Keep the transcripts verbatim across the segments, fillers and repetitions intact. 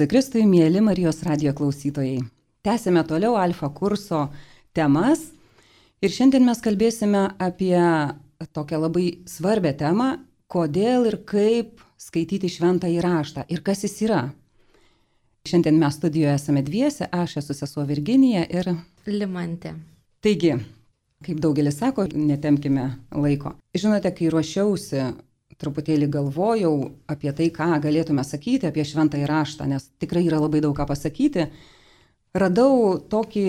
Kristui, mėly Marijos radijo klausytojai. Tęsime toliau Alfa kurso temas ir šiandien mes kalbėsime apie tokią labai svarbią temą, kodėl ir kaip skaityti šventąjį raštą ir kas jis yra. Šiandien mes studijoje esame dviese, aš esu sesuo Virginija ir Limantė. Taigi, kaip daugelis sako, netempkime laiko. Žinote, kai ruošiausi, truputėlį galvojau apie tai, ką galėtume sakyti apie šventąjį raštą, nes tikrai yra labai daug ką pasakyti. Radau tokį,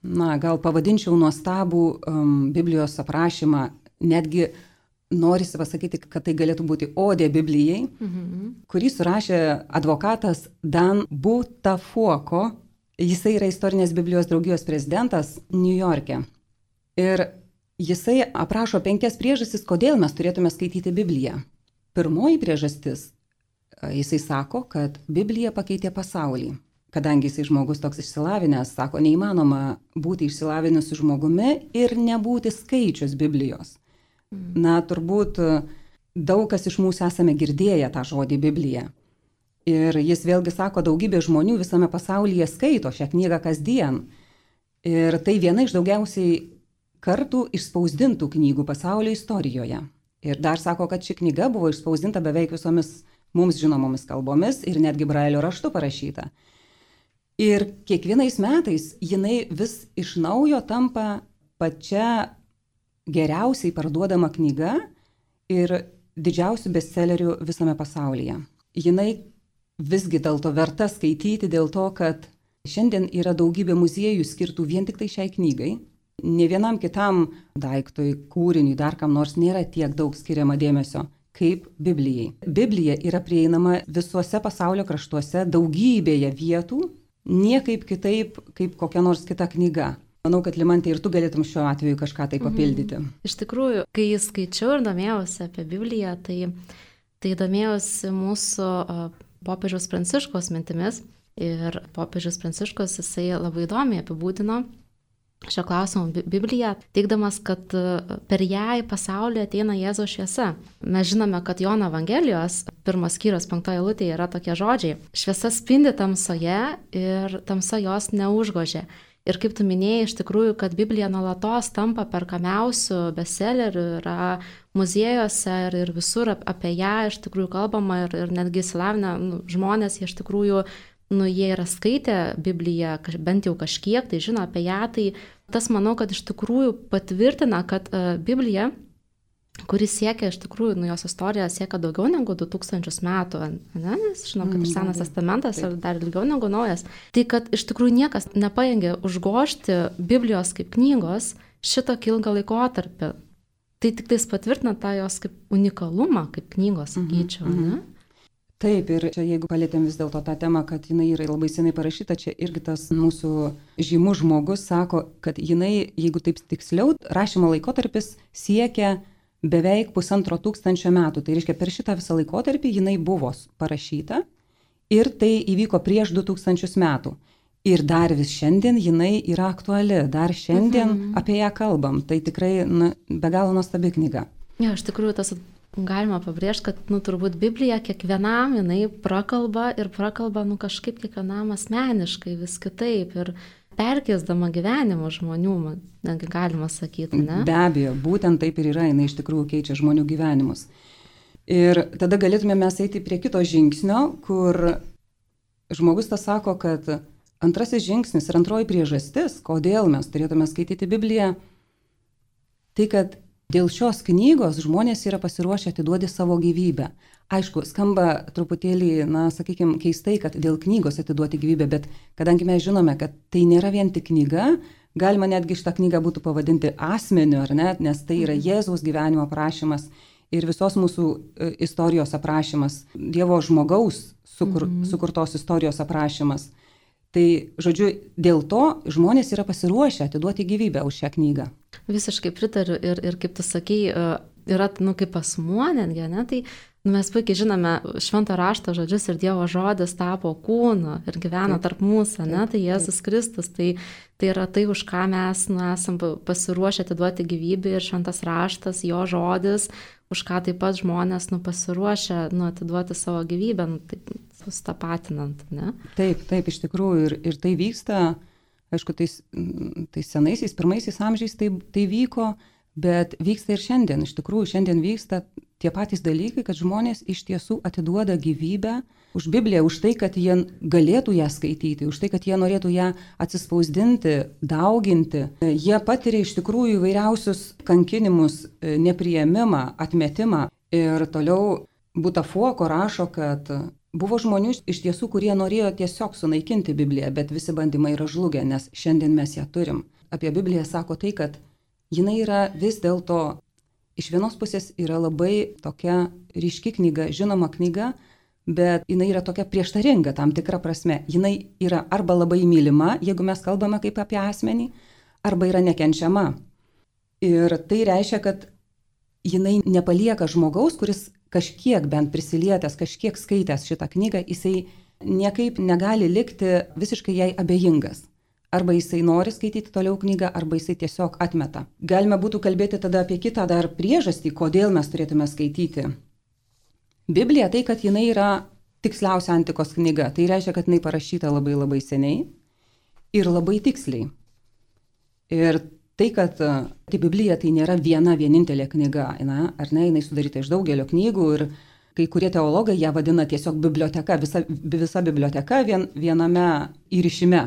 na, gal pavadinčiau nuostabų um, Biblijos aprašymą, netgi norisi pasakyti, kad tai galėtų būti odė Biblijai, mhm. kurį surašė advokatas Dan Buttafuoco. Jisai yra istorinės Biblijos draugijos prezidentas Niujorke. Ir jisai aprašo penkias priežastis, kodėl mes turėtume skaityti Bibliją. Pirmoji priežastis, jisai sako, kad Biblija pakeitė pasaulį. Kadangi jisai žmogus toks išsilavinęs, sako, neįmanoma būti išsilavinusiu žmogumi ir nebūti skaičius Biblijos. Na, turbūt daug kas iš mūsų esame girdėję tą žodį Biblija. Ir jis vėlgi sako, daugybė žmonių visame pasaulyje skaito šią knygą kasdien. Ir tai viena iš daugiausiai kartų išspausdintų knygų pasaulio istorijoje. Ir dar sako, kad ši knyga buvo išspausdinta beveik visomis mums žinomomis kalbomis ir netgi brailio raštu parašyta. Ir kiekvienais metais jinai vis iš naujo tampa pačia geriausiai parduodama knyga ir didžiausių bestsellerių visame pasaulyje. Jinai visgi dėl to verta skaityti, dėl to, kad šiandien yra daugybė muziejų skirtų vien tik tai šiai knygai. Ne vienam kitam daiktui, kūriniui, dar kam nors nėra tiek daug skiriama dėmesio kaip Biblijai. Biblija yra prieinama visuose pasaulio kraštuose, daugybėje vietų, niekaip kitaip kaip kokia nors kita knyga. Manau, kad Limantė ir tu galėtum šiuo atveju kažką tai papildyti. Mhm. Iš tikrųjų, kai skaičiau ir domėjausi apie Bibliją, tai, tai domėjausi mūsų popiežiaus Pranciškaus mintimis. Ir popiežius Pranciškus jisai labai įdomiai apibūdino šio klausimo Bibliją, teigdamas, kad per ją į pasaulį ateina Jėzaus šviesa. Mes žinome, kad Jono Evangelijos pirmos skyriaus penktoje eilutėje yra tokie žodžiai: šviesa spindi tamsoje ir tamsa jos neužgožė. Ir kaip tu minėjai, iš tikrųjų, kad Biblija nuolatos tampa perkamiausių bestsellerių, yra muziejuose ir, ir visur apie ją iš tikrųjų kalbama ir, ir netgi įsilavinę nu, žmonės, jie iš tikrųjų, nu, jie yra skaitę Bibliją, bent jau kažkiek, tai žino apie ją, tai tas manau, kad iš tikrųjų patvirtina, kad uh, Biblija, kuris siekia, iš tikrųjų, nu, jos istorija siekia daugiau negu du tūkstančius metų, ne? Nes žinom, kad ir Senas testamentas ir dar ilgiau negu Naujas. Tai, kad iš tikrųjų niekas nepaėgė užgožti Biblijos kaip knygos šitokį ilgą laikotarpį. Tai tik tais patvirtina tą jos kaip unikalumą, kaip knygos, sakyčiau, mhm, mhm. ne? Taip, ir čia jeigu palėtėm vis dėlto tą temą, kad jinai yra labai senai parašyta, čia irgi tas mūsų žymus žmogus sako, kad jinai, jeigu taip tiksliau, rašymo laikotarpis siekia beveik pusantro tūkstančio metų. Tai reiškia, per šitą visą laikotarpį jinai buvo parašyta ir tai įvyko prieš du tūkstančius metų. Ir dar vis šiandien jinai yra aktuali, dar šiandien mhm. apie ją kalbam. Tai tikrai na, be galo nuostabi knyga. Ja, iš tikrųjų, tas galima pabrėžti, kad nu, turbūt Biblija kiekvienam jinai prakalba ir prakalba nu, kažkaip kiekvienam asmeniškai vis kitaip ir perkeisdama gyvenimo žmonių, netgi galima sakyti, ne? Be abejo, būtent taip ir yra, jinai iš tikrųjų keičia žmonių gyvenimus. Ir tada galėtume mes eiti prie kito žingsnio, kur žmogus tas sako, kad antrasis žingsnis ir antroji priežastis, kodėl mes turėtume skaityti Bibliją, tai kad dėl šios knygos žmonės yra pasiruošę atiduoti savo gyvybę. Aišku, skamba truputėlį, na, sakykime, keistai, kad dėl knygos atiduoti gyvybę, bet kadangi mes žinome, kad tai nėra vien tik knyga, galima netgi šitą knygą būtų pavadinti asmeniu, ar ne, nes tai yra Jėzaus gyvenimo aprašymas ir visos mūsų istorijos aprašymas, Dievo žmogaus sukur, mm-hmm. sukurtos istorijos aprašymas. Tai, žodžiu, dėl to žmonės yra pasiruošę atiduoti gyvybę už šią knygą. Visiškai pritariu ir, ir kaip tu sakei, yra, nu, kaip asmuo netgi, ne, tai nu, mes puikiai žinome švento rašto žodžius ir Dievo žodis tapo kūnu ir gyvena tarp mūsų, ne, tai Jėzus Kristus, tai, tai yra tai, už ką mes nu, esam pasiruošę atiduoti gyvybę ir šventas raštas, jo žodis, už ką taip pat žmonės nu, pasiruošę nu, atiduoti savo gyvybę, nu, taip sustapatinant, ne? Taip, taip, iš tikrųjų. Ir, ir tai vyksta, aišku, tais, tais senaisiais, pirmaisiais amžiais tai, tai vyko, bet vyksta ir šiandien. Iš tikrųjų, šiandien vyksta tie patys dalykai, kad žmonės iš tiesų atiduoda gyvybę už Bibliją, už tai, kad jie galėtų ją skaityti, už tai, kad jie norėtų ją atsispausdinti, dauginti. Jie patiria iš tikrųjų įvairiausius kankinimus, nepriėmimą, atmetimą. Ir toliau Butafuoko rašo, kad buvo žmonių iš tiesų, kurie norėjo tiesiog sunaikinti Bibliją, bet visi bandymai yra žlugę, nes šiandien mes ją turim. Apie Bibliją sako tai, kad jinai yra vis dėlto, iš vienos pusės yra labai tokia ryški knyga, žinoma knyga, bet jinai yra tokia prieštaringa tam tikra prasme. Jinai yra arba labai mylima, jeigu mes kalbame kaip apie asmenį, arba yra nekenčiama. Ir tai reiškia, kad jinai nepalieka žmogaus, kuris kažkiek bent prisilietęs, kažkiek skaitęs šitą knygą, jisai niekaip negali likti visiškai jai abejingas. Arba jisai nori skaityti toliau knygą, arba jisai tiesiog atmeta. Galime būtų kalbėti tada apie kitą dar priežastį, kodėl mes turėtume skaityti Bibliją, tai kad jinai yra tiksliausia antikos knyga. Tai reiškia, kad jinai parašyta labai labai seniai ir labai tiksliai. Ir tai, kad tai Biblija tai nėra viena vienintelė knyga, na, ar ne, jinai sudaryta iš daugelio knygų ir kai kurie teologai ją vadina tiesiog biblioteka, visa, visa biblioteka vien, viename įrišime.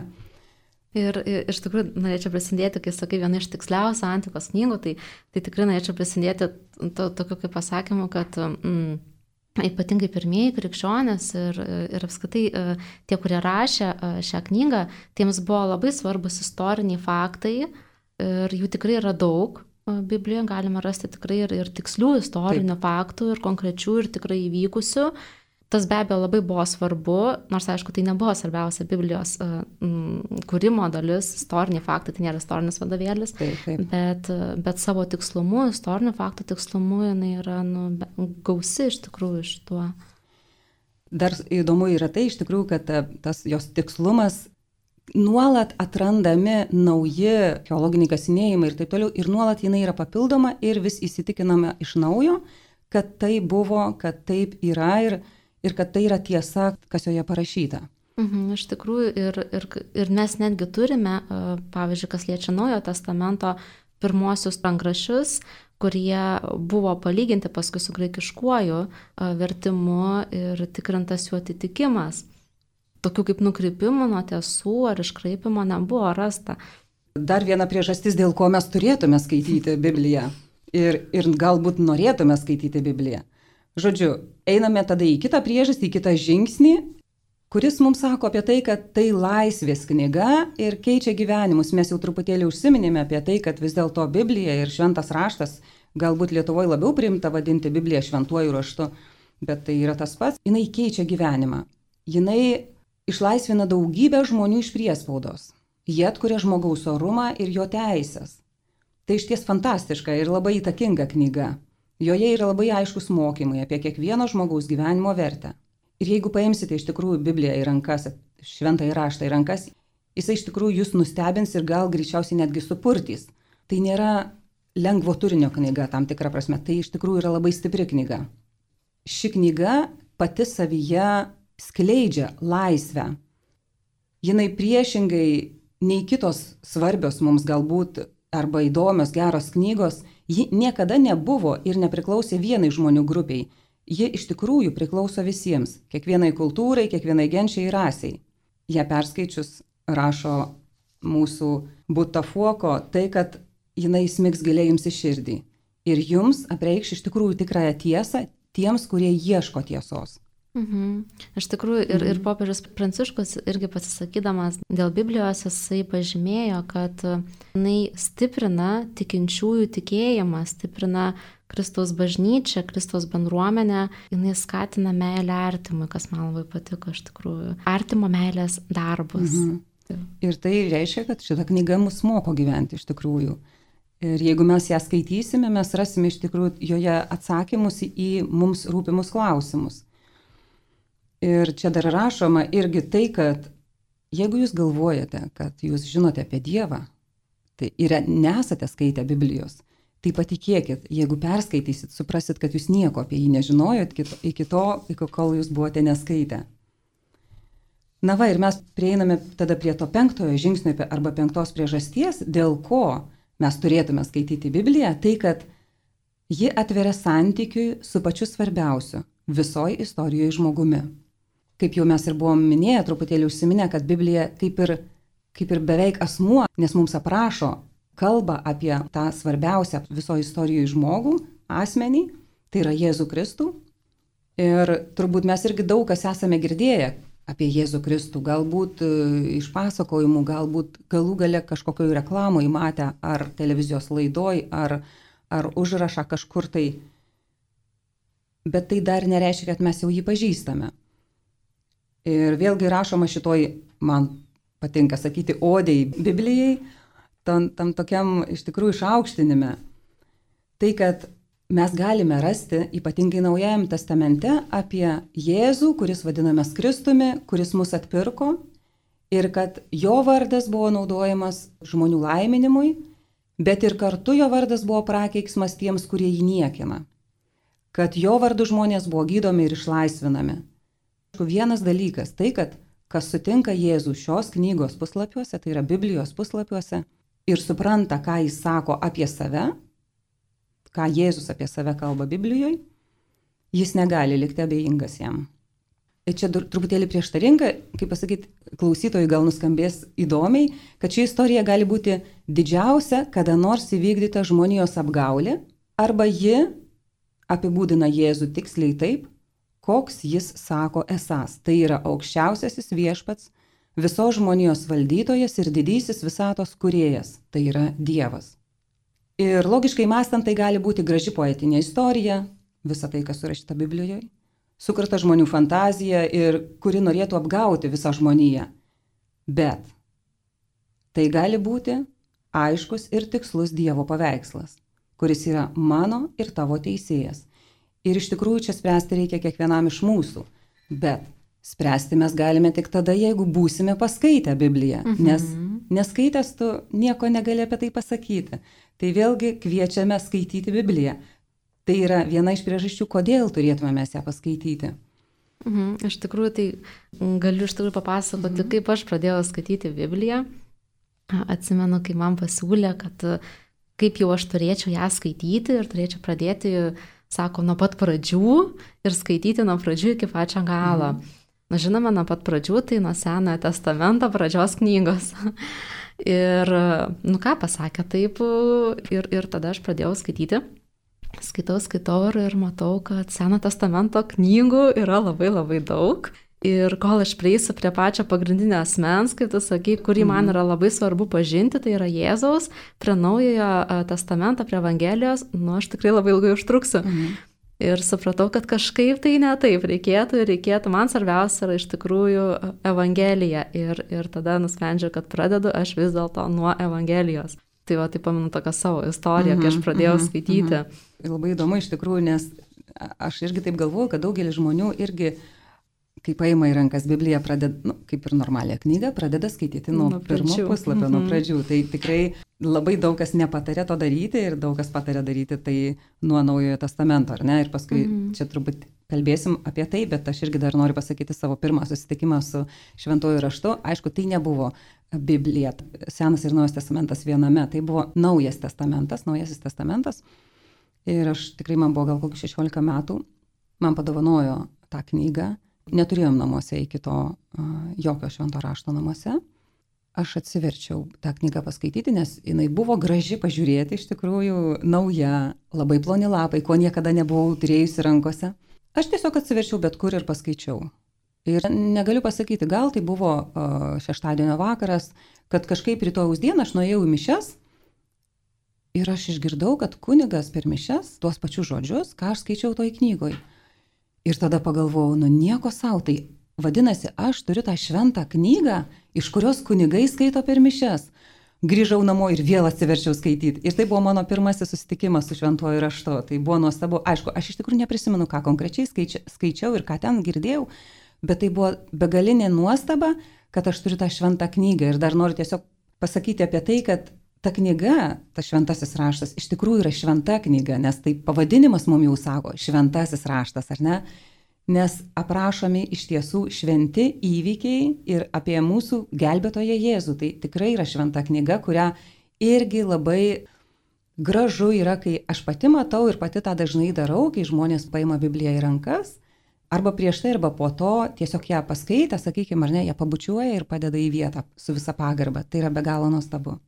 Ir iš tikrųjų norėčiau prisidėti, kai sakai, viena iš tiksliausių antikos knygų, tai, tai tikrai norėčiau prisidėti to, tokiu kaip pasakymu, kad mm, ypatingai pirmieji krikščionės ir, ir apskritai tie, kurie rašė šią knygą, tiems buvo labai svarbus istoriniai faktai ir jų tikrai yra daug. Biblijoje galime rasti tikrai ir, ir tikslių istorinių Taip. faktų ir konkrečių ir tikrai įvykusių. Tas be abejo labai buvo svarbu, nors aišku, tai nebuvo svarbiausia Biblijos uh, m, kūrimo dalis, istoriniai faktai, tai nėra istorinis vadovėlis, taip, taip. Bet, bet savo tikslumu, istorinių faktų tikslumu, jinai yra nu, gausi iš tikrųjų iš tuo. Dar įdomu yra tai iš tikrųjų, kad tas jos tikslumas nuolat atrandami nauji archeologiniai kasinėjimai ir taip toliau, ir nuolat jinai yra papildoma ir vis įsitikinama iš naujo, kad tai buvo, kad taip yra ir ir kad tai yra tiesa, kas joje parašyta. Mhm, iš tikrųjų, ir, ir, ir mes netgi turime, pavyzdžiui, kas liečia Naujojo testamento pirmosius rankraščius, kurie buvo palyginti paskui su graikiškuoju vertimu ir tikrintas jų atitikimas. Tokių kaip nukrypimų nuo tiesų ar iškraipimo nebuvo rasta. Dar viena priežastis, dėl ko mes turėtume skaityti Bibliją ir, ir galbūt norėtume skaityti Bibliją. Žodžiu, einame tada į kitą priežastį, į kitą žingsnį, kuris mums sako apie tai, kad tai laisvės knyga ir keičia gyvenimus. Mes jau truputėlį užsiminėme apie tai, kad vis dėlto Biblija ir šventas raštas, galbūt Lietuvoje labiau priimta vadinti Bibliją šventuoju raštu, bet tai yra tas pats, jinai keičia gyvenimą. Jinai išlaisvina daugybę žmonių iš priespaudos. Jie atkuria žmogaus orumą ir jo teisės. Tai išties fantastiška ir labai įtakinga knyga. Joje yra labai aiškus mokymai apie kiekvieno žmogaus gyvenimo vertę. Ir jeigu paimsite iš tikrųjų Bibliją į rankas, šventąjį raštą į rankas, jisai iš tikrųjų jūs nustebins ir gal greičiausiai netgi supurtys. Tai nėra lengvo turinio knyga tam tikra prasme, tai iš tikrųjų yra labai stipri knyga. Ši knyga pati savyje skleidžia laisvę. Jinai priešingai nei kitos svarbios mums galbūt arba įdomios, geros knygos, ji niekada nebuvo ir nepriklausė vienai žmonių grupiai. Ji iš tikrųjų priklauso visiems, kiekvienai kultūrai, kiekvienai genčiai ir rasiai. Ją perskaičius, rašo mūsų Butafuoko, tai, kad jinai smigs giliai jums į širdį. Ir jums apreikš iš tikrųjų tikrąją tiesą tiems, kurie ieško tiesos. Mhm. Iš tikrųjų, ir, ir popiežius Pranciškus irgi pasisakydamas dėl Biblijos, jisai pažymėjo, kad jinai stiprina tikinčiųjų tikėjimą, stiprina Kristaus bažnyčią, Kristaus bendruomenę, jinai skatina meilę artimui, kas man labai patiko iš tikrųjų. Artimo meilės darbus. Mhm. Ir tai reiškia, kad šita knyga mus moko gyventi iš tikrųjų. Ir jeigu mes ją skaitysime, mes rasime iš tikrųjų joje atsakymus į mums rūpimus klausimus. Ir čia dar rašoma irgi tai, kad jeigu jūs galvojate, kad jūs žinote apie Dievą, tai ir nesate skaitę Biblijos, Tai patikėkit, jeigu perskaitysit, suprasit, kad jūs nieko apie jį nežinojot iki to, iki kol jūs buvote neskaitę. Na va, ir mes prieiname tada prie to penktojo žingsnio arba penktos priežasties, dėl ko mes turėtume skaityti Bibliją, tai kad ji atveria santykiui su pačiu svarbiausiu visoji istorijoje žmogumi. Kaip jau mes ir buvom minėję, truputėlį užsiminę, kad Biblija kaip ir, kaip ir beveik asmuo, nes mums aprašo, kalba apie tą svarbiausią visoje istorijoje žmogų, asmenį, tai yra Jėzų Kristų. Ir turbūt mes irgi daug kas esame girdėję apie Jėzų Kristų, galbūt iš pasakojimų, galbūt galų gale kažkokioje reklamoje matę, ar televizijos laidoj, ar, ar užrašą kažkur tai. Bet tai dar nereiškia, kad mes jau jį pažįstame. Ir vėlgi rašoma šitoj, man patinka sakyti, odei Biblijai, tam, tam tokiam iš tikrųjų išaukštinime. Tai, kad mes galime rasti, ypatingai Naujajam testamente, apie Jėzų, kuris vadinamas Kristumi, kuris mus atpirko ir kad jo vardas buvo naudojamas žmonių laiminimui, bet ir kartu jo vardas buvo prakeiksmas tiems, kurie jį niekina. Kad jo vardu žmonės buvo gydomi ir išlaisvinami. Vienas dalykas, tai kad kas sutinka Jėzų šios knygos puslapiuose, tai yra Biblijos puslapiuose, ir supranta, ką jis sako apie save, ką Jėzus apie save kalba Biblijoje, jis negali likti abejingas jam. Ir čia truputėlį prieštaringa, kaip pasakyti, klausytojai gal nuskambės įdomiai, kad ši istorija gali būti didžiausia, kada nors įvykdyta žmonijos apgaulė, arba ji apibūdina Jėzų tiksliai taip, koks jis sako esąs. Tai yra aukščiausiasis viešpats, visos žmonijos valdytojas ir didysis visatos kūrėjas, tai yra Dievas. Ir logiškai mąstant, tai gali būti graži poetinė istorija, visa tai, kas surašyta Biblijoje, sukurta žmonių fantazija ir kuri norėtų apgauti visą žmoniją. Bet tai gali būti aiškus ir tikslus Dievo paveikslas, kuris yra mano ir tavo teisėjas. Ir iš tikrųjų čia spręsti reikia kiekvienam iš mūsų. Bet spręsti mes galime tik tada, jeigu būsime paskaitę Bibliją. Mhm. Nes neskaitęs tu nieko negali apie tai pasakyti. Tai vėlgi kviečiame skaityti Bibliją. Tai yra viena iš priežasčių, kodėl turėtume mes ją paskaityti. Mhm. Iš tikrųjų, tai galiu iš tikrųjų papasakoti, mhm. kaip aš pradėjau skaityti Bibliją. Atsimenu, kai man pasiūlė, kad kaip jau aš turėčiau ją skaityti ir turėčiau pradėti, sako, nuo pat pradžių ir skaityti nuo pradžių iki pačio galo. Mm. Na, žinoma, nuo pat pradžių, tai nuo Senojo testamento pradžios knygos. Ir, nu ką, pasakė taip, ir, ir tada aš pradėjau skaityti. Skaitau, skaitau ir, ir matau, kad Senojo testamento knygų yra labai labai daug. Ir kol aš prieisiu prie pačio pagrindinio asmens, kaip tu sakai, kurį man yra labai svarbu pažinti, tai yra Jėzaus, prie Naujojo testamento, prie Evangelijos, nu aš tikrai labai ilgai užtruksiu. Mhm. Ir supratau, kad kažkaip tai ne taip reikėtų ir reikėtų, man svarbiausia yra iš tikrųjų Evangelija. Ir, ir tada nusprendžiau, kad pradedu aš vis dėlto nuo Evangelijos. Tai va, tai pamenu tokią savo istoriją, mhm, kai aš pradėjau mhm, skaityti. Mhm. Labai įdomu iš tikrųjų, nes aš irgi taip galvoju, kad daugelis žmonių irgi kai paima į rankas Bibliją, pradeda, nu, kaip ir normalią knygą, pradeda skaityti nuo, nuo pirmo puslapio, mm-hmm. nuo pradžių. Tai tikrai labai daug kas nepatarė to daryti ir daug kas patarė daryti tai nuo Naujojo testamento, ar ne? Ir paskui mm-hmm. čia turbūt kalbėsim apie tai, bet aš irgi dar noriu pasakyti savo pirmą susitikimą su Šventuoju raštu. Aišku, tai nebuvo Biblija, Senas ir Naujas testamentas viename, tai buvo Naujas testamentas, Naujasis testamentas. Ir aš tikrai, man buvo gal kokių šešiolika metų, man padovanojo tą knygą. Neturėjom namuose iki to uh, jokio švento rašto namuose. Aš atsiverčiau tą knygą paskaityti, nes jinai buvo graži pažiūrėti, iš tikrųjų nauja, labai ploni lapai, ko niekada nebuvau turėjusi rankose. Aš tiesiog atsiverčiau bet kur ir paskaičiau. Ir negaliu pasakyti, gal tai buvo uh, šeštadienio vakaras, kad kažkaip rytojaus dieną aš nuėjau į mišias ir aš išgirdau, kad kunigas per mišias tuos pačius žodžius, ką aš skaičiau toj knygoj. Ir tada pagalvojau, nu nieko sau, tai vadinasi, aš turiu tą šventą knygą, iš kurios kunigai skaito per mišias. Grįžau namo ir vėl atsiverčiau skaityti. Ir tai buvo mano pirmasis susitikimas su Šventuoju raštu. Tai buvo nuostabu. Aišku, aš iš tikrųjų neprisimenu, ką konkrečiai skaičia, skaičiau ir ką ten girdėjau, bet tai buvo begalinė nuostaba, kad aš turiu tą šventą knygą. Ir dar noriu tiesiog pasakyti apie tai, kad ta knyga, ta šventasis raštas, iš tikrųjų yra šventa knyga, nes tai pavadinimas mums jau sako šventasis raštas, ar ne? Nes aprašomi iš tiesų šventi įvykiai ir apie mūsų gelbėtoją Jėzų. Tai tikrai yra šventa knyga, kurią irgi labai gražu yra, kai aš pati matau ir pati tą dažnai darau, kai žmonės paima Bibliją į rankas, arba prieš tai, arba po to tiesiog ją paskaitę, sakykime, ar ne, ją pabučiuoja ir padeda į vietą su visa pagarba. Tai yra be galo nuostabu.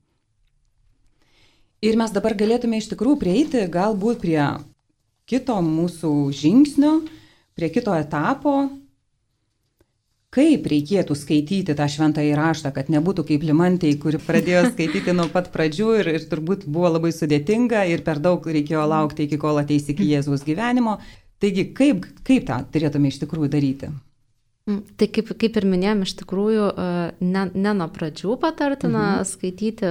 Ir mes dabar galėtume iš tikrųjų prieiti galbūt prie kito mūsų žingsnio, prie kito etapo, kaip reikėtų skaityti tą šventąjį raštą, kad nebūtų kaip Limantei, kuri pradėjo skaityti nuo pat pradžių ir, ir turbūt buvo labai sudėtinga ir per daug reikėjo laukti, iki kol ateis iki Jėzaus gyvenimo. Taigi, kaip, kaip tą turėtume iš tikrųjų daryti? Tai kaip, kaip ir minėjom, iš tikrųjų ne, ne nuo pradžių patartina mhm. skaityti,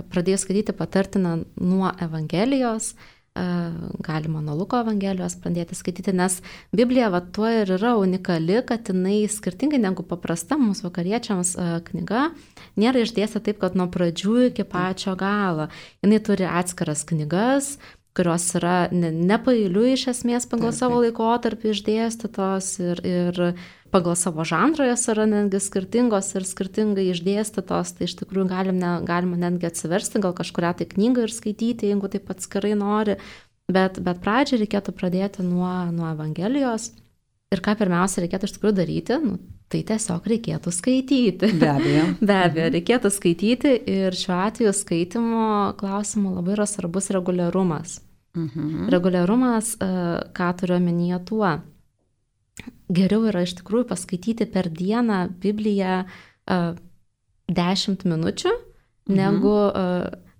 pradėjus skaityti patartina nuo Evangelijos, galima nuo Luko Evangelijos pradėti skaityti, nes Biblija va tuo ir yra unikali, kad jinai skirtingai negu paprasta mūsų vakariečiams knyga, nėra išdėsta taip, kad nuo pradžių iki pačio galo. Jinai turi atskiras knygas, kurios yra nepailiui iš esmės pagal taip, savo laikotarpį išdėstytos ir, ir pagal savo žanrą jos yra netgi skirtingos ir skirtingai išdėstytos, tai iš tikrųjų galima, galima netgi atsiversti gal kažkurią tai knygą ir skaityti, jeigu taip atskirai nori, bet, bet pradžiai reikėtų pradėti nuo, nuo Evangelijos ir ką pirmiausia reikėtų iš tikrųjų daryti, nu, tai tiesiog reikėtų skaityti. Be abejo. Be abejo, reikėtų skaityti ir šiuo atveju skaitimo klausimu labai yra svarbus reguliarumas. Mhm. Reguliarumas, ką turiu omenyje tuo. Geriau yra iš tikrųjų paskaityti per dieną Bibliją dešimt minučių, mhm. negu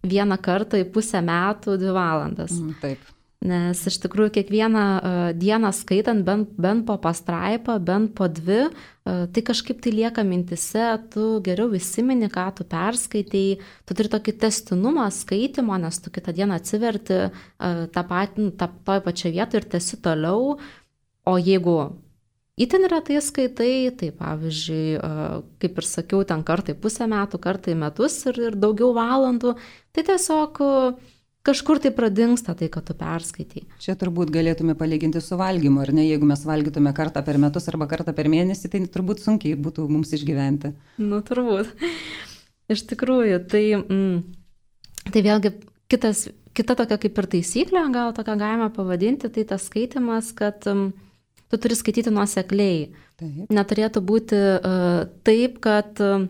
vieną kartą į pusę metų dvi valandas. Mhm, taip. Nes iš tikrųjų kiekvieną dieną skaitant bent, bent po pastraipą, bent po dvi, tai kažkaip tai lieka mintise, tu geriau įsimeni, ką tu perskaitai, tu turi tokį testinumą skaitimo, nes tu kitą dieną atsiverti tą patį, tą, toj pačią vietą ir tęsi toliau, o jeigu itin retai skaitai, tai pavyzdžiui, kaip ir sakiau, ten kartai pusę metų, kartai metus ir, ir daugiau valandų, tai tiesiog kažkur tai pradingsta tai, kad tu perskaitai. Čia turbūt galėtume palyginti su valgymu, ar ne? Jeigu mes valgytume kartą per metus arba kartą per mėnesį, tai turbūt sunkiai būtų mums išgyventi. Nu, turbūt. Iš tikrųjų, tai, mm, tai vėlgi kitas, kita tokia kaip ir taisyklė, gal tokia galima pavadinti, tai tas skaitimas, kad mm, tu turi skaityti nuosekliai. Taip. Neturėtų būti uh, taip, kad uh,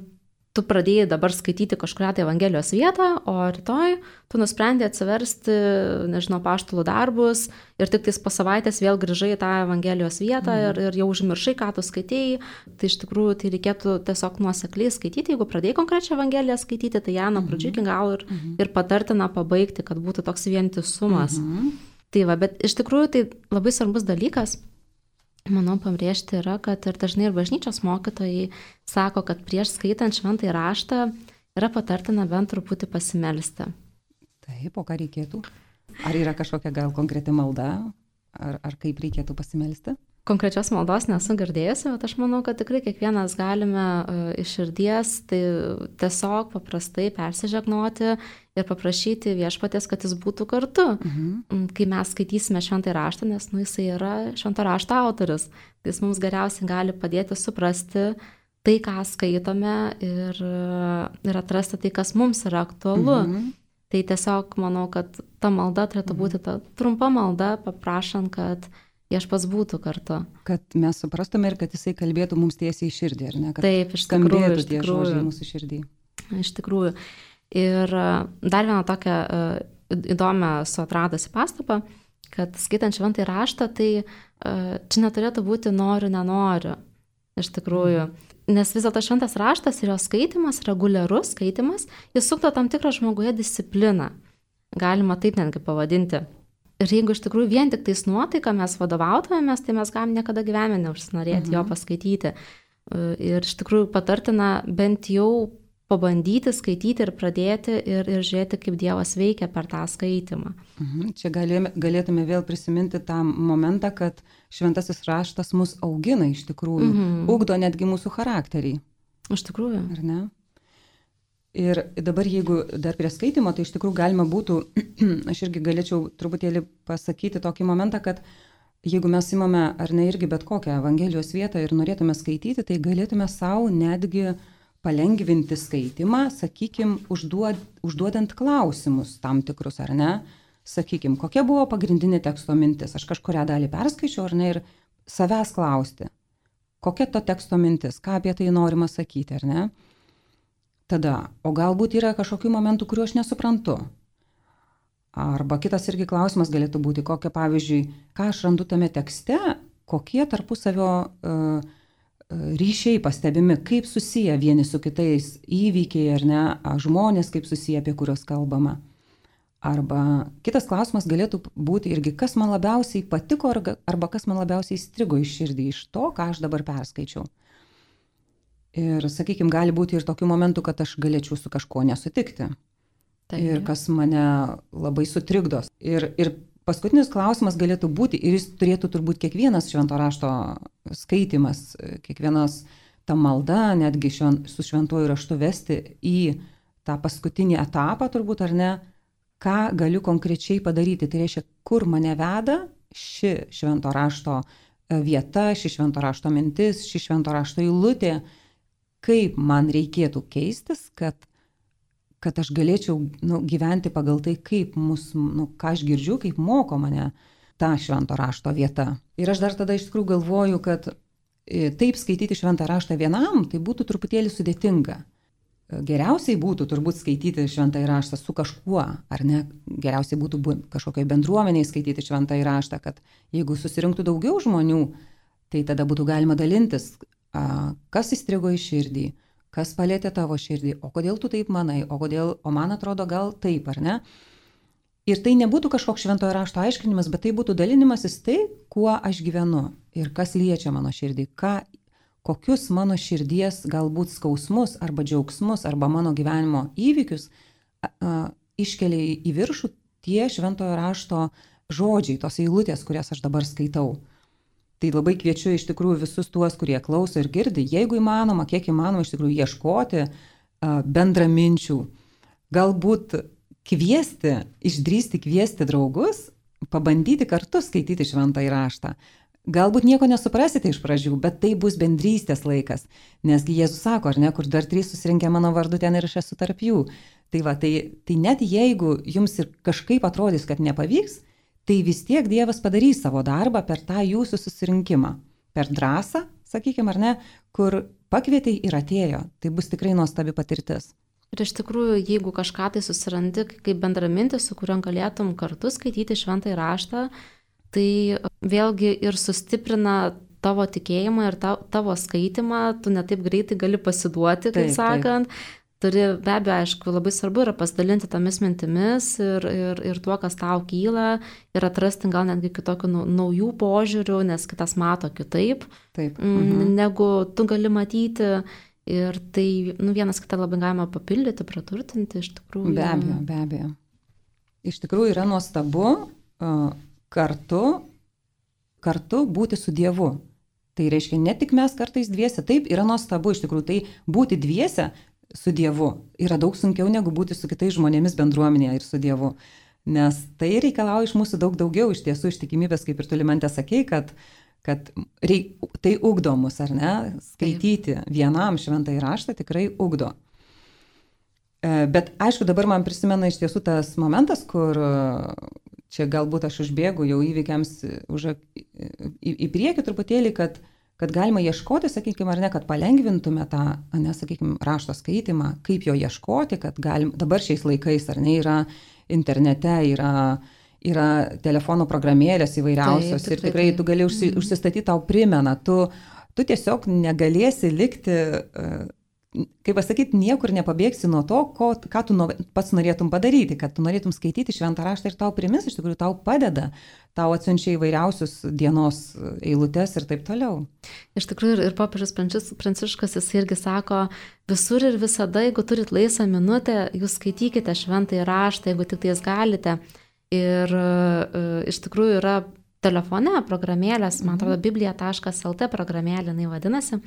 tu pradėjai dabar skaityti kažkurią tai Evangelijos vietą, o rytoj tu nusprendė atsiversti, nežinau, apaštalų darbus ir tik tais po savaitės vėl grįžai į tą Evangelijos vietą mhm. ir, ir jau užmiršai, ką tu skaitėjai. Tai iš tikrųjų tai reikėtų tiesiog nuosekliai skaityti. Jeigu pradėjai konkrečią Evangeliją skaityti, tai ją nuo pradžių iki galo ir, mhm. ir patartina pabaigti, kad būtų toks vientisumas. Mhm. Tai va, bet iš tikrųjų tai labai svarbus dalykas, manau, pabrėžti yra, kad ir dažnai ir bažnyčios mokytojai sako, kad prieš skaitant šventąjį raštą yra patartina bent truputį pasimelsti. Taip, o ką reikėtų? Ar yra kažkokia gal konkreti malda? Ar, ar kaip reikėtų pasimelsti? Konkrečios maldos nesu girdėjusi, bet aš manau, kad tikrai kiekvienas galime uh, iš širdies tai tiesiog paprastai persižegnoti ir paprašyti viešpaties, kad jis būtų kartu. Mhm. Kai mes skaitysime šventąjį raštą, nes nu, jisai yra švento rašto autorius, tai jis mums geriausiai gali padėti suprasti tai, ką skaitome ir, ir atrasti tai, kas mums yra aktualu. Mhm. Tai tiesiog manau, kad ta malda turėtų būti ta trumpa malda, paprašant, kad viešpats būtų kartu. Kad mes suprastume ir kad jisai kalbėtų mums tiesiai į širdį, ar ne? Kad taip, iš tikrųjų. Skambėtų tie žodžiai mūsų širdį. Iš tikrųjų. Ir dar vieną tokią įdomią su atradusi pastabą, kad skaitant šventąjį raštą, tai čia neturėtų būti noriu, nenoriu. Iš tikrųjų. Nes vis dėlto šventas raštas ir jo skaitimas, reguliarus skaitimas, jis sukto tam tikrą žmoguje discipliną. Galima taip netgi pavadinti. Ir jeigu iš tikrųjų vien tik tais nuotaika mes vadovautumėmės, tai mes galim niekada gyvenime neužsinorėti mhm. jo paskaityti. Ir iš tikrųjų patartina bent jau pabandyti skaityti ir pradėti ir, ir žiūrėti, kaip Dievas veikia per tą skaitimą. Mhm. Čia galėtume, galėtume vėl prisiminti tą momentą, kad šventasis raštas mus augina iš tikrųjų, mhm. ugdo netgi mūsų charakterį. Iš tikrųjų. Ar ne? Ir dabar jeigu dar prie skaitimo, tai iš tikrųjų galima būtų, aš irgi galėčiau truputėlį pasakyti tokį momentą, kad jeigu mes imame ar ne irgi bet kokią Evangelijos vietą ir norėtume skaityti, tai galėtume savo netgi palengvinti skaitimą, sakykime, užduod, užduodant klausimus tam tikrus, ar ne? Sakykime, kokia buvo pagrindinė teksto mintis? Aš kažkurią dalį perskaičiau, ar ne, ir savęs klausti, kokia to teksto mintis, ką apie tai norima sakyti, ar ne? Tada, o galbūt yra kažkokių momentų, kuriuo aš nesuprantu. Arba kitas irgi klausimas galėtų būti, kokia, pavyzdžiui, ką aš randu tame tekste, kokie tarpusavio uh, ryšiai pastebimi, kaip susiję vieni su kitais įvykiai, ar ne, žmonės, kaip susiję, apie kuriuos kalbama. Arba kitas klausimas galėtų būti irgi, kas man labiausiai patiko, arba kas man labiausiai įstrigo iš širdį iš to, ką aš dabar perskaičiau. Ir, sakykime, gali būti ir tokių momentų, kad aš galėčiau su kažkuo nesutikti. Taip. Ir kas mane labai sutrikdos. Ir, ir paskutinis klausimas galėtų būti, ir jis turėtų turbūt kiekvienas švento rašto skaitimas, kiekvienas ta malda, netgi šven, su šventuoju raštu vesti į tą paskutinį etapą, turbūt ar ne, ką galiu konkrečiai padaryti. Tai reiškia, kur mane veda ši švento rašto vieta, ši švento rašto mintis, ši švento rašto eilutė, kaip man reikėtų keistis, kad, kad aš galėčiau nu, gyventi pagal tai, kaip mus, nu, ką aš girdžiu, kaip moko mane ta švento rašto vieta. Ir aš dar tada iš tikrųjų galvoju, kad taip skaityti šventą raštą vienam, tai būtų truputėlį sudėtinga. Geriausiai būtų turbūt skaityti šventąjį raštą su kažkuo, ar ne? Geriausiai būtų kažkokiai bendruomeniai skaityti šventąjį raštą, kad jeigu susirinktų daugiau žmonių, tai tada būtų galima dalintis, kas įstrigo į širdį, kas palėtė tavo širdį, o kodėl tu taip manai, o, kodėl, o man atrodo gal taip, ar ne? Ir tai nebūtų kažkoks šventojo rašto aiškinimas, bet tai būtų dalinimasis tai, kuo aš gyvenu ir kas liečia mano širdį, ką, kokius mano širdies galbūt skausmus arba džiaugsmus arba mano gyvenimo įvykius a, a, iškelia į viršų tie šventojo rašto žodžiai, tos eilutės, kurias aš dabar skaitau. Tai labai kviečiu iš tikrųjų visus tuos, kurie klauso ir girdi, jeigu įmanoma, kiek įmanoma iš tikrųjų ieškoti uh, bendraminčių, galbūt kviesti, išdrįsti kviesti draugus, pabandyti kartu skaityti šventąjį raštą. Galbūt nieko nesuprasite iš pradžių, bet tai bus bendrystės laikas, nesgi Jėzus sako, ar ne, kur dar trys susirinkę mano vardu, ten ir aš esu tarp jų. Tai va, tai, tai net jeigu jums ir kažkaip atrodys, kad nepavyks, tai vis tiek Dievas padarys savo darbą per tą jūsų susirinkimą, per drąsą, sakykime, ar ne, kur pakvietei ir atėjo. Tai bus tikrai nuostabi patirtis. Ir iš tikrųjų, jeigu kažką tai susirandi kaip bendramintis, su kuriuo galėtum kartu skaityti šventąjį raštą, tai vėlgi ir sustiprina tavo tikėjimą ir tavo skaitimą, tu netaip greitai gali pasiduoti, kaip taip, sakant. Taip. Turi, be abejo, aišku, labai svarbu yra pasidalinti tomis mintimis ir, ir, ir tuo, kas tau kyla, ir atrasti gal netgi kitokių naujų požiūrių, nes kitas mato kitaip, taip. Mhm. Negu tu gali matyti. Ir tai nu, vienas kitą labai galima papildyti, praturtinti, iš tikrųjų. Be abejo, be abejo. Iš tikrųjų yra nuostabu uh, kartu, kartu būti su Dievu. Tai reiškia, ne tik mes kartais dviese, taip yra nuostabu, iš tikrųjų, tai būti dviese su Dievu yra daug sunkiau negu būti su kitais žmonėmis bendruomenėje ir su Dievu. Nes tai reikalauja iš mūsų daug daugiau, iš tiesų ištikimybės, kaip ir tu Limante sakei, kad, kad reik, tai ugdo mus, ar ne? Skaityti taip. Vienam šventąjį raštą tikrai ugdo. Bet aišku, dabar man prisimena iš tiesų tas momentas, kur čia galbūt aš užbėgu jau įvykiams už, į, į priekį truputėlį, kad kad galima ieškoti, sakykime, ar ne, kad palengvintume tą, ne, sakykime, rašto skaitimą, kaip jo ieškoti, kad galim, dabar šiais laikais, ar ne, yra internete, yra, yra telefono programėlės įvairiausios taip, taip, ir tikrai tu gali užsi, užsistatyti, tau primena, tu, tu tiesiog negalėsi likti, kaip pasakyti, niekur nepabėgsi nuo to, ko, ką tu pats norėtum padaryti, kad tu norėtum skaityti šventą raštą ir tau primins, iš tikrųjų tau padeda, tau atsiunčia įvairiausius dienos eilutes ir taip toliau. Iš tikrųjų ir popiežius Pranciškus jis irgi sako, visur ir visada, jeigu turit laisvą minutę, jūs skaitykite šventąjį raštą, jeigu tik tais galite. Ir iš tikrųjų yra telefone programėlės, man atrodo, biblija taškas el te programėlė jinai vadinasi.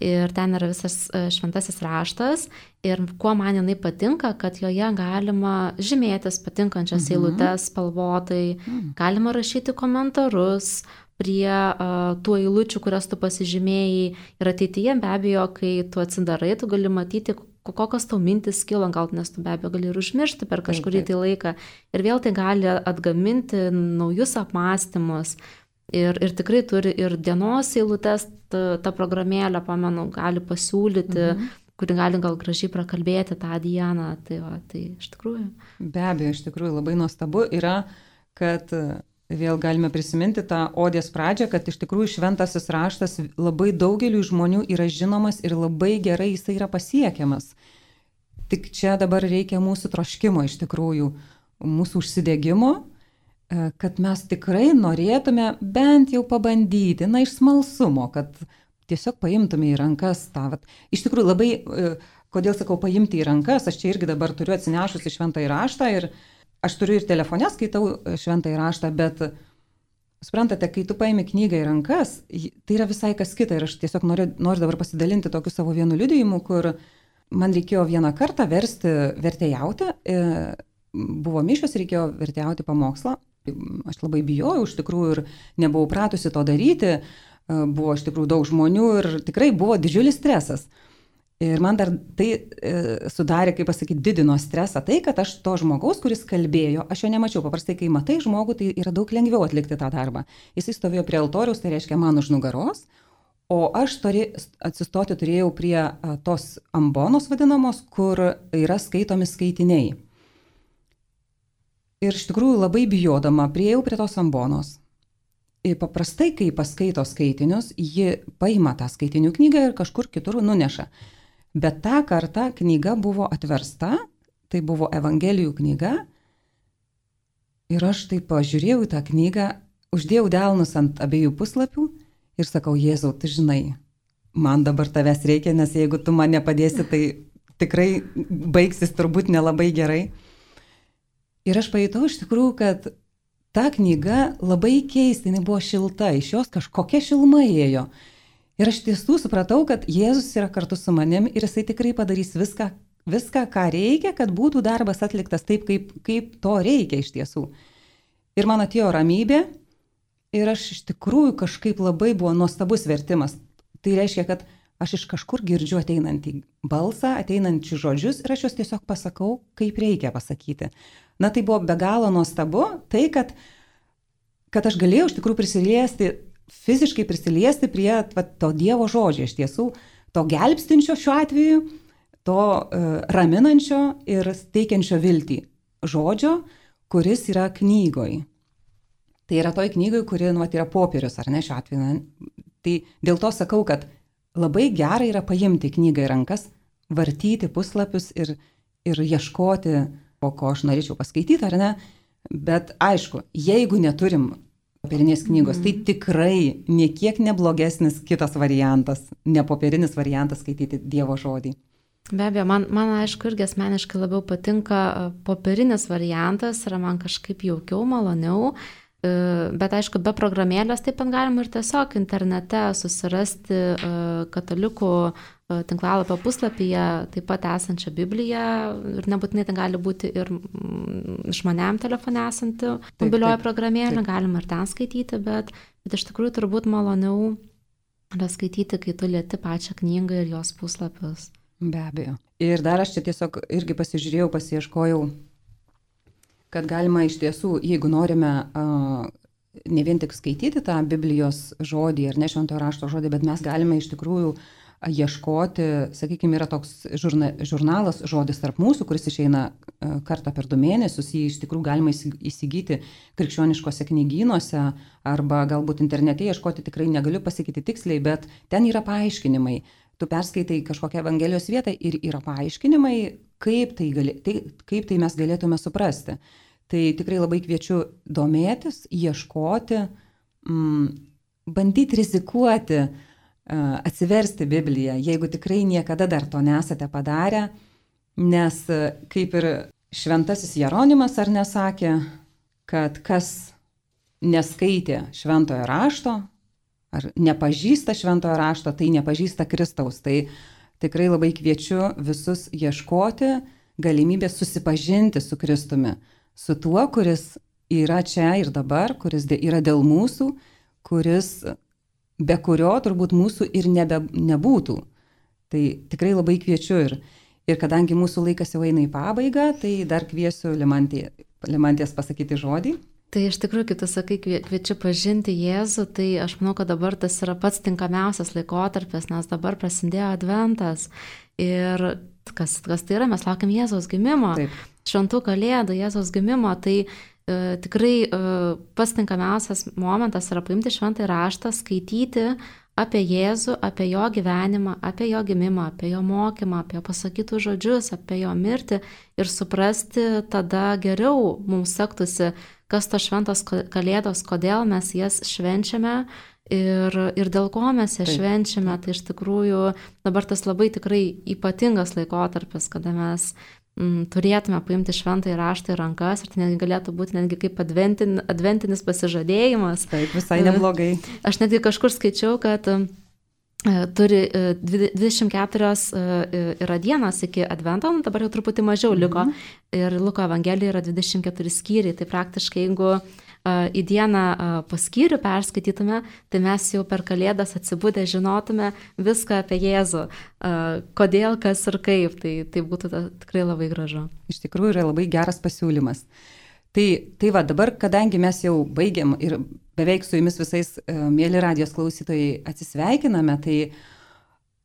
Ir ten yra visas šventasis raštas. Ir kuo man jinai patinka, kad joje galima žymėtis patinkančias Mhm. eilutes spalvotai, Mhm. galima rašyti komentarus prie uh, tų eilučių, kurias tu pasižymėjai. Ir ateityje be abejo, kai tu atsidarai, tu gali matyti, kokios tau mintis kilo, gal nes tu be abejo gali ir užmiršti per kažkurį tai laiką. Ir vėl tai gali atgaminti naujus apmąstymus. Ir, ir tikrai turi ir dienos eilutes, ta, ta programėlė, pamenu, gali pasiūlyti, mhm. kuri gali gal gražiai prakalbėti tą dieną. Tai, va, tai iš tikrųjų. Be abejo, iš tikrųjų labai nuostabu yra, kad vėl galime prisiminti tą odės pradžią, kad iš tikrųjų šventasis raštas labai daugeliu žmonių yra žinomas ir labai gerai jisai yra pasiekiamas. Tik čia dabar reikia mūsų troškimo iš tikrųjų, mūsų užsidegimo, kad mes tikrai norėtume bent jau pabandyti, na, iš smalsumo, kad tiesiog paimtume į rankas tą. Vat. Iš tikrųjų labai, kodėl sakau paimti į rankas, aš čia irgi dabar turiu atsinešusi šventąjį raštą ir aš turiu ir telefone skaitau šventąjį raštą, bet suprantate, kai tu paimi knygą į rankas, tai yra visai kas kita. Ir aš tiesiog noriu, noriu dabar pasidalinti tokiu savo vienu liudijimu, kur man reikėjo vieną kartą versti, vertėjauti. Buvo mišios, reikėjo vertėjauti pamokslą. Aš labai bijojau iš tikrųjų ir nebuvau pratusi to daryti. Buvo iš tikrųjų daug žmonių ir tikrai buvo didžiulis stresas. Ir man dar tai e, sudarė, kaip pasakyti, didino stresą tai, kad aš to žmogaus, kuris kalbėjo, aš jo nemačiau. Paprastai, kai matai žmogų, tai yra daug lengviau atlikti tą darbą. Jis stovėjo prie altoriaus, tai reiškia man už nugaros, o aš turė, atsistoti turėjau prie a, tos ambonos vadinamos, kur yra skaitomi skaitiniai. Ir iš tikrųjų labai bijodama priėjau prie tos ambonos. Ir paprastai, kai paskaito skaitinius, ji paima tą skaitinių knygą ir kažkur kitur nuneša. Bet tą kartą knyga buvo atversta, tai buvo Evangelijų knyga ir aš taip pažiūrėjau į tą knygą, uždėjau delnus ant abiejų puslapių ir sakau, Jėzau, tu žinai, man dabar tavęs reikia, nes jeigu tu man nepadėsi, tai tikrai baigsis turbūt nelabai gerai. Ir aš pajutau iš tikrųjų, kad ta knyga labai keista, jinai buvo šilta, iš jos kažkokia šiluma ėjo. Ir aš tiesų supratau, kad Jėzus yra kartu su manim ir jisai tikrai padarys viską, viską, ką reikia, kad būtų darbas atliktas taip, kaip, kaip to reikia iš tiesų. Ir man atėjo ramybė ir aš iš tikrųjų kažkaip labai buvo nuostabus vertimas. Tai reiškia, kad aš iš kažkur girdžiu ateinantį balsą, ateinančius žodžius ir aš juos tiesiog pasakau, kaip reikia pasakyti. Na tai buvo be galo nuostabu, tai kad, kad aš galėjau iš tikrųjų prisiliesti, fiziškai prisiliesti prie va, to Dievo žodžio iš tiesų, to gelbstinčio šiuo atveju, to uh, raminančio ir teikiančio viltį žodžio, kuris yra knygoj. Tai yra toj knygoj, kuri nu, yra popierius, ar ne šiuo atveju. Tai dėl to sakau, kad labai gerai yra paimti knygą į rankas, vartyti puslapius ir, ir ieškoti, po ko aš norėčiau paskaityti, ar ne. Bet aišku, jeigu neturim popierinės knygos, mm. tai tikrai niekiek neblogesnis kitas variantas, ne popierinis variantas skaityti Dievo žodį. Be abejo, man, man aišku irgi asmeniškai labiau patinka popierinis variantas, yra man kažkaip jaukiau, maloniau, bet aišku, be programėlės taip pat galima ir tiesiog internete susirasti katalikų tinklalapio puslapyje taip pat esančią Bibliją ir nebūtinai tai gali būti ir išmaniam telefone esanti mobilioji programėlė, galima ir ten skaityti, bet, bet iš tikrųjų turbūt maloniau yra skaityti, kai tu lieti pačią knygą ir jos puslapius. Be abejo. Ir dar aš čia tiesiog irgi pasižiūrėjau, pasiieškojau, kad galima iš tiesų, jeigu norime uh, ne vien tik skaityti tą Biblijos žodį ar ne šventojo rašto žodį, bet mes galime iš tikrųjų ieškoti, sakykime, yra toks žurna, žurnalas žodis tarp mūsų, kuris išeina uh, kartą per du mėnesius, jį iš tikrųjų galima įsigyti krikščioniškose knygynuose arba galbūt internete ieškoti, tikrai negaliu pasakyti tiksliai, bet ten yra paaiškinimai. Tu perskaitai kažkokią Evangelijos vietą ir yra paaiškinimai, kaip tai, gali, tai, kaip tai mes galėtume suprasti. Tai tikrai labai kviečiu domėtis, ieškoti, mm, bandyti rizikuoti, uh, atsiversti Bibliją, jeigu tikrai niekada dar to nesate padarę, nes kaip ir šventasis Jeronimas ar nesakė, kad kas neskaitė šventojo rašto, ar nepažįsta šventojo rašto, tai nepažįsta Kristaus. Tai tikrai labai kviečiu visus ieškoti galimybės susipažinti su Kristumi, su tuo, kuris yra čia ir dabar, kuris yra dėl mūsų, kuris be kurio turbūt mūsų ir nebe, nebūtų. Tai tikrai labai kviečiu ir, ir kadangi mūsų laikas jau eina į pabaigą, tai dar kviesiu Limantė, Limantės pasakyti žodį. Tai iš tikrųjų, kaip tu sakai, kviečiu pažinti Jėzų, tai aš manau, kad dabar tas yra pats tinkamiausias laikotarpis, nes dabar prasidėjo adventas. Ir kas, kas tai yra, mes laukiam Jėzaus gimimo, Taip. šventų kalėdų, Jėzaus gimimo, tai e, tikrai e, pats tinkamiausias momentas yra paimti šventąjį raštą, skaityti apie Jėzų, apie jo gyvenimą, apie jo gimimą, apie jo mokymą, apie jo pasakytus žodžius, apie jo mirtį ir suprasti tada geriau mums sektųsi, kas to šventos kalėdos, kodėl mes jas švenčiame ir, ir dėl ko mes jas Taip. švenčiame. Tai iš tikrųjų dabar tas labai tikrai ypatingas laikotarpis, kada mes mm, turėtume paimti šventąjį raštą į rankas ir tai netgi galėtų būti netgi kaip adventin, adventinis pasižadėjimas. Taip, visai neblogai. Aš netgi kažkur skaičiau, kad turi dvidešimt keturios yra dienos iki advento, dabar jau truputį mažiau liko mhm. ir Luko Evangelijoje yra dvidešimt keturi skyriai, tai praktiškai jeigu į dieną po skyrių perskaitytume, tai mes jau per kalėdas atsibudę žinotume viską apie Jėzų, kodėl, kas ir kaip, tai, tai būtų ta, tikrai labai gražu. Iš tikrųjų yra labai geras pasiūlymas. Tai, tai va, dabar, kadangi mes jau baigiam ir beveik su jumis visais, mėly radijos klausytojai, atsisveikiname, tai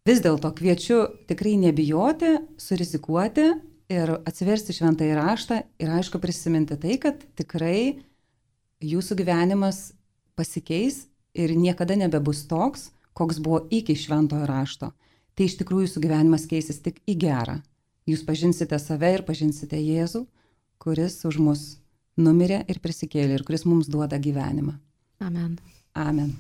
vis dėlto kviečiu tikrai nebijoti, surizikuoti ir atsiversti šventąjį raštą ir aišku prisiminti tai, kad tikrai jūsų gyvenimas pasikeis ir niekada nebebus toks, koks buvo iki šventojo rašto. Tai iš tikrųjų jūsų gyvenimas keisis tik į gerą. Jūs pažinsite save ir pažinsite Jėzų, kuris už mus numirė ir prisikėlė ir kuris mums duoda gyvenimą. Amen. Amen.